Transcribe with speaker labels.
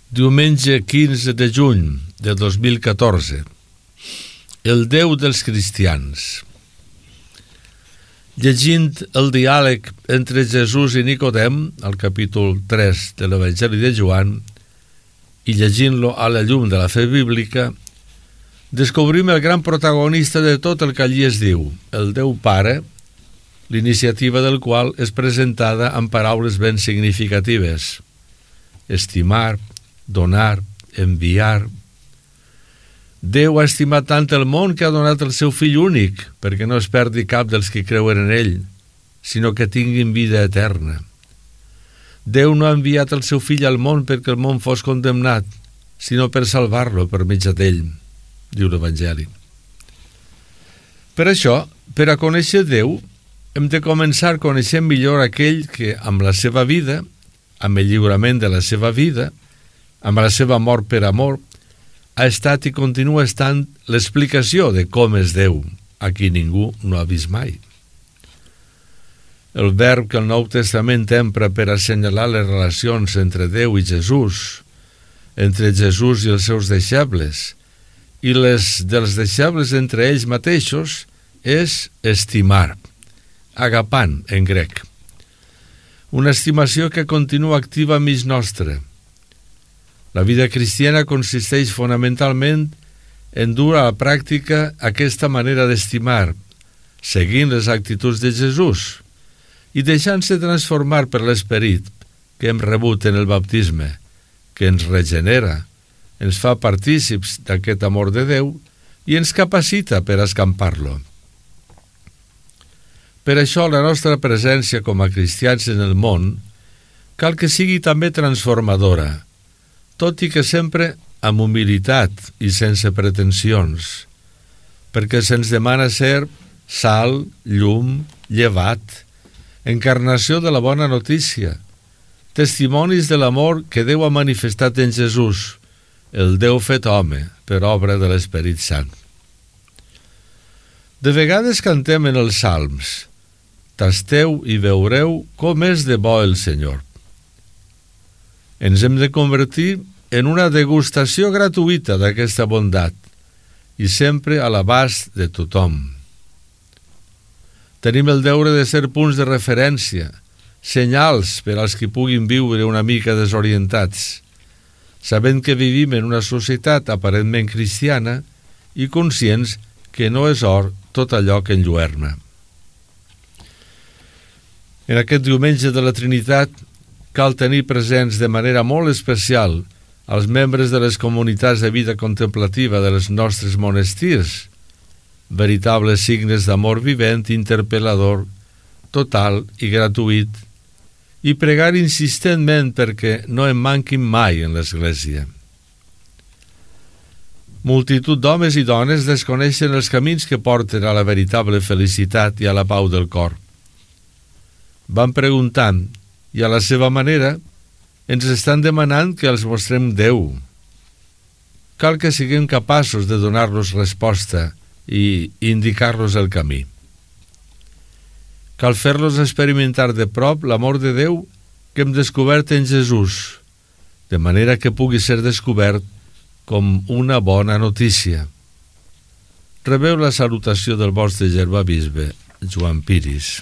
Speaker 1: Diumenge 15 de juny de 2014. El Déu dels cristians. Llegint el diàleg entre Jesús i Nicodem, al capítol 3 de l'Evangeli de Joan, i llegint-lo a la llum de la fe bíblica, descobrim el gran protagonista de tot el que allí es diu, el Déu Pare, l'iniciativa del qual és presentada amb paraules ben significatives: estimar, donar, enviar. Déu ha estimat tant el món que ha donat el seu fill únic, perquè no es perdi cap dels que creuen en ell, sinó que tinguin vida eterna. Déu no ha enviat el seu fill al món perquè el món fos condemnat, sinó per salvar-lo per mitjà d'ell, diu l'Evangeli. Per això, per a conèixer Déu, hem de començar coneixent millor aquell que, amb la seva vida, amb el lliurament de la seva vida, amb la seva mort per amor, ha estat i continua estant l'explicació de com és Déu, a qui ningú no ha vist mai. El verb que el Nou Testament empra per assenyalar les relacions entre Déu i Jesús, entre Jesús i els seus deixebles, i les dels deixebles entre ells mateixos, és estimar, agapan en grec. Una estimació que continua activa mig nostre. La vida cristiana consisteix fonamentalment en dur a la pràctica aquesta manera d'estimar, seguint les actituds de Jesús i deixant-se transformar per l'esperit que hem rebut en el baptisme, que ens regenera, ens fa partícips d'aquest amor de Déu i ens capacita per escampar-lo. Per això la nostra presència com a cristians en el món cal que sigui també transformadora, tot i que sempre amb humilitat i sense pretensions, perquè se'ns demana ser sal, llum, llevat, encarnació de la bona notícia, testimonis de l'amor que Déu ha manifestat en Jesús, el Déu fet home per obra de l'Esperit Sant. De vegades cantem en els salms: tasteu i veureu com és de bo el Senyor. Ens hem de convertir en una degustació gratuïta d'aquesta bondat i sempre a l'abast de tothom. Tenim el deure de ser punts de referència, senyals per als que puguin viure una mica desorientats, sabent que vivim en una societat aparentment cristiana i conscients que no és or tot allò que enlluerna. En aquest diumenge de la Trinitat cal tenir presents de manera molt especial els membres de les comunitats de vida contemplativa dels nostres monestirs, veritables signes d'amor vivent, interpel·lador, total i gratuït, i pregar insistentment perquè no en manquin mai en l'Església. Multitud d'homes i dones desconeixen els camins que porten a la veritable felicitat i a la pau del cor. Van preguntant, i a la seva manera ens estan demanant que els mostrem Déu. Cal que siguem capaços de donar-los resposta i indicar-los el camí. Cal fer-los experimentar de prop l'amor de Déu que hem descobert en Jesús, de manera que pugui ser descobert com una bona notícia. Rebeu la salutació del vostre germà bisbe, Joan Piris.